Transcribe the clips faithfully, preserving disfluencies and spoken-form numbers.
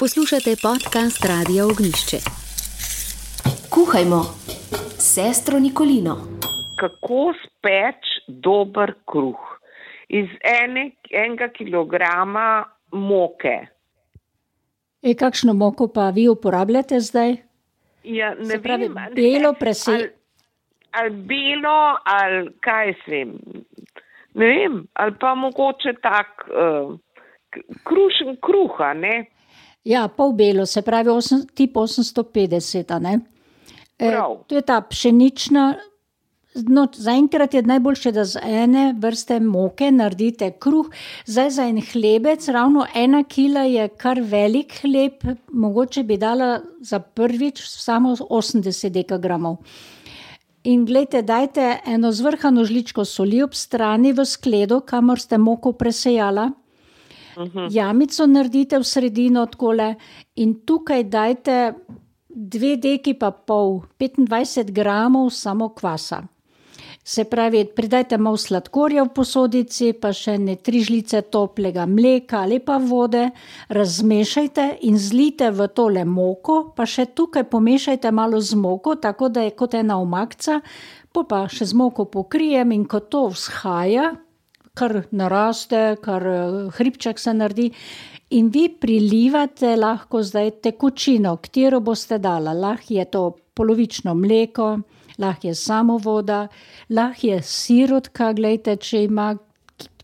Poslušate podcast Radia Ognjišče. Kuhajmo s sestro Nikolino. Kako speč dober kruh iz ene, enega kilograma moke? E, kakšno moko pa vi uporabljate zdaj? Ja, ne Se pravi, vem, belo presi... ali, ali belo, ali kaj svem. Ne vem, ali pa mogoče tak uh, krušen kruha, ne? Ja, pol belo, se pravi osem, tip osemsto petdeset, a ne? E, to je ta pšenična, no, zaenkrat je najboljše, da z ene vrste moke naredite kruh. Zdaj za en hlebec, ravno ena kila je kar velik hleb, mogoče bi dala za prvič samo osemdeset dekagramov. In glejte, dajte eno zvrhano žličko soli ob strani v skledo, kamor ste moko presejala. Uh-huh. Jamico naredite v sredino takole in tukaj dajte dve deki pa pol, petindvajset gramov samo kvasa. Se pravi, pridajte malo sladkorja v posodici, pa še ne tri žlice toplega mleka ali pa vode, razmešajte in zlijte v tole moko, pa še tukaj pomešajte malo z moko, tako da je kot ena omakca, pa še z moko pokrijem in ko to vzhaja, kar naraste, kar hribček se naredi in vi prilivate lahko zdaj tekočino, katero boste dala. Lahko je to polovično mleko, lahko je samo voda, lahko je sirotka, glejte, če ima,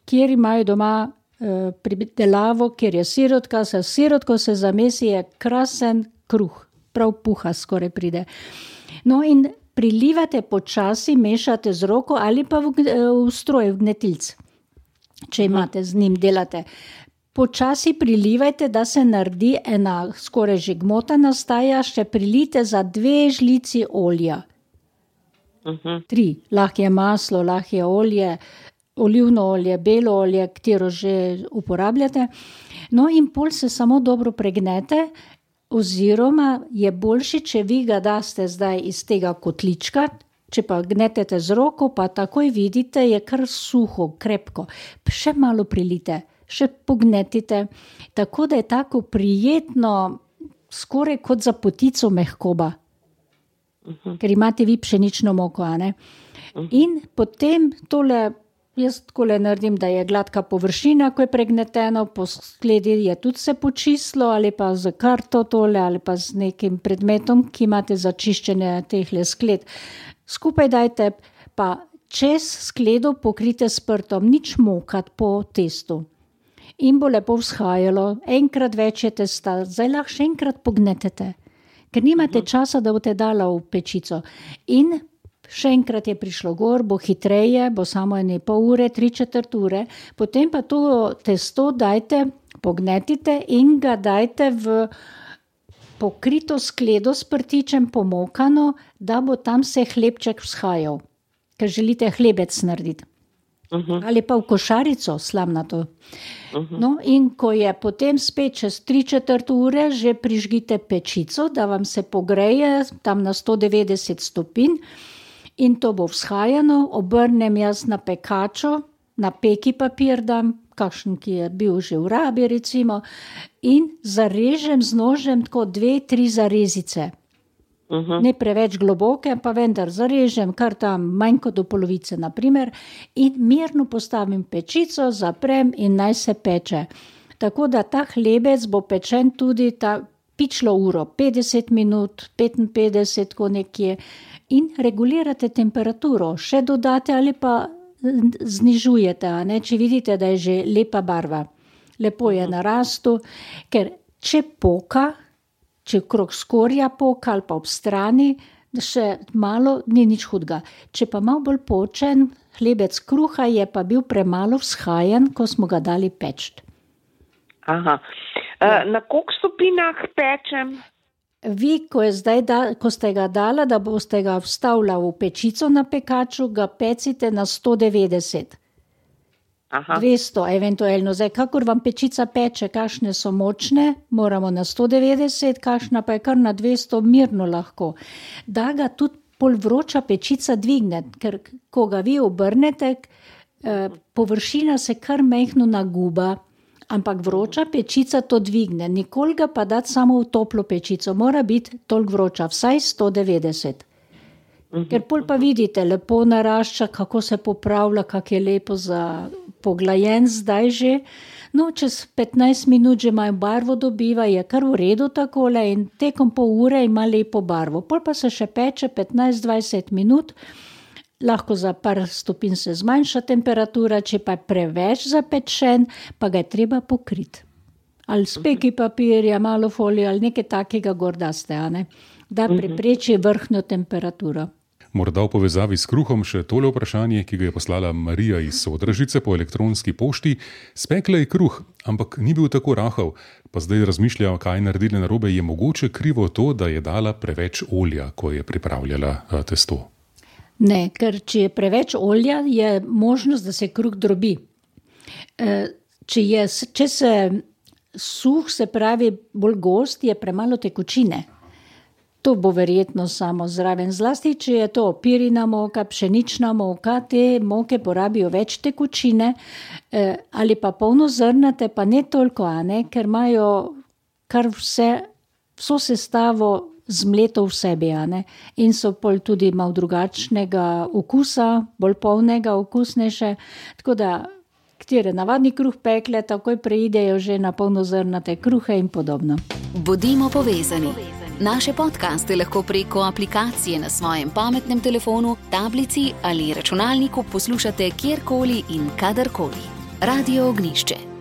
kjer imajo doma eh, pridelavo, kjer je sirotka, se sirotko se zamesi, je krasen kruh, prav puha skoraj pride. No in prilivate počasi, mešate z roko ali pa v, v stroj, v gnetilc. Če imate z njim, delate. Počasi prilivajte, da se naredi ena skoraj že gmota nastaja, še prilite za dve žlici olja. Uh-huh. Tri. Lahko je maslo, lahko je olje, olivno olje, belo olje, katero že uporabljate. No in pol se samo dobro pregnete, oziroma je boljši, če vi ga daste zdaj iz tega kotlička. Če pa gnetete z roko, pa takoj vidite, je kar suho, krepko. Še malo prilite, še pognetite, tako da je tako prijetno, skoraj kot za potico mehkoba. Uh-huh. Ker imate vi pšenično moko, a ne? Uh-huh. In potem tole, jaz takole naredim, da je gladka površina, ko je pregneteno, po skledi je tudi se počistilo, ali pa z karto tole, ali pa z nekim predmetom, ki imate za čiščenje tehle skled. Skupaj dajte, pa čez skledo pokrite s prtom, nič mokat po testu. In bo lepo vzhajalo, enkrat več je testa, zdaj lahko še enkrat pognetete, ker nimate uh-huh. časa, da boste dala v pečico. In še enkrat je prišlo gor, bo hitreje, bo samo ene pol ure, tri četrt ure, potem pa to testo dajte, pognetite in ga dajte v pokrito skledo s prtičem pomokano, da bo tam se hlebček vzhajal, ker želite hlebec narediti. Uh-huh. Ali pa v košarico slamnato. Uh-huh. No in ko je potem spet čez tri četrt ure, že prižgite pečico, da vam se pogreje tam na sto devetdeset stopinj in to bo vzhajano, obrnem jaz na pekačo, na peki papir dam, kakšen, ki je bil že v rabi recimo, in zarežem z nožem tako dve, tri zarezice. Uh-huh. Ne preveč globoke, pa vendar zarežem kar tam manj kot do polovice, naprimer, in mirno postavim pečico, zaprem in naj se peče. Tako da ta hlebec bo pečen tudi ta pičlo uro, petdeset minut, petinpetdeset, ko nekje, in regulirate temperaturo, še dodate ali pa znižujete, a ne, če vidite, da je že lepa barva. Lepo je narastu, ker če poka, če krog skorja poka ali pa ob strani, še malo ni nič hudga. Če pa malo bolj počen, hlebec kruha je pa bil premalo vzhajen, ko smo ga dali peč. Aha. Ja. Na koliko stopinjah pečem? Vi, ko, je zdaj da, ko ste ga dala, da boste ga vstavila v pečico na pekaču, ga pecite na sto devetdeset. Aha. dvesto eventualno. Zdaj, kakor vam pečica peče, kakšne so močne, moramo na sto devetdeset, kakšna pa je kar na dvesto, mirno lahko. Da ga tudi pol vroča pečica dvigne, ker ko ga vi obrnete, eh, površina se kar mehno naguba, Ampak vroča pečica to dvigne, nikoli ga pa dati samo v toplo pečico, mora biti toliko vroča, vsaj sto devetdeset. Ker pol pa vidite, lepo narašča, kako se popravlja, kako je lepo za poglajen zdaj že. No, čez petnajst minut že imajo barvo dobiva, je kar v redu takole in tekom pol ure ima lepo barvo. Pol pa se še peče petnajst dvajset minut, lahko za par stopinj se zmanjša temperatura, če pa je preveč zapečen, pa ga je treba pokriti. Ali s peki papirja, malo folije ali nekaj takega gordaste, a ne? Da prepreči vrhnjo temperaturo. Morda v povezavi s kruhom še tole vprašanje, ki ga je poslala Marija iz Sodražice po elektronski pošti. Spekla je kruh, ampak ni bil tako rahel, pa zdaj razmišlja, kaj naredili narobe. Je mogoče krivo to, da je dala preveč olja, ko je pripravljala testo? Ne, ker če je preveč olja, je možnost, da se kruh drobi. Če, je, če se suh, se pravi bolj gost, je premalo tekočine. To bo verjetno samo zraven. Zlasti, če je to pirina moka, pšenična moka, te moke porabijo več tekočine, eh, ali pa polnozrnate, pa ne toliko, a ne, ker imajo kar vse, vso sestavo zmleto v sebi, a ne, in so pol tudi malo drugačnega okusa, bolj polnega, okusnejše, tako da, katere navadni kruh pekle, takoj preidejo že na polnozrnate kruhe in podobno. Bodimo povezani. Naše podcaste lahko preko aplikacije na svojem pametnem telefonu, tablici ali računalniku poslušate kjerkoli in kadarkoli. Radio Ognišče.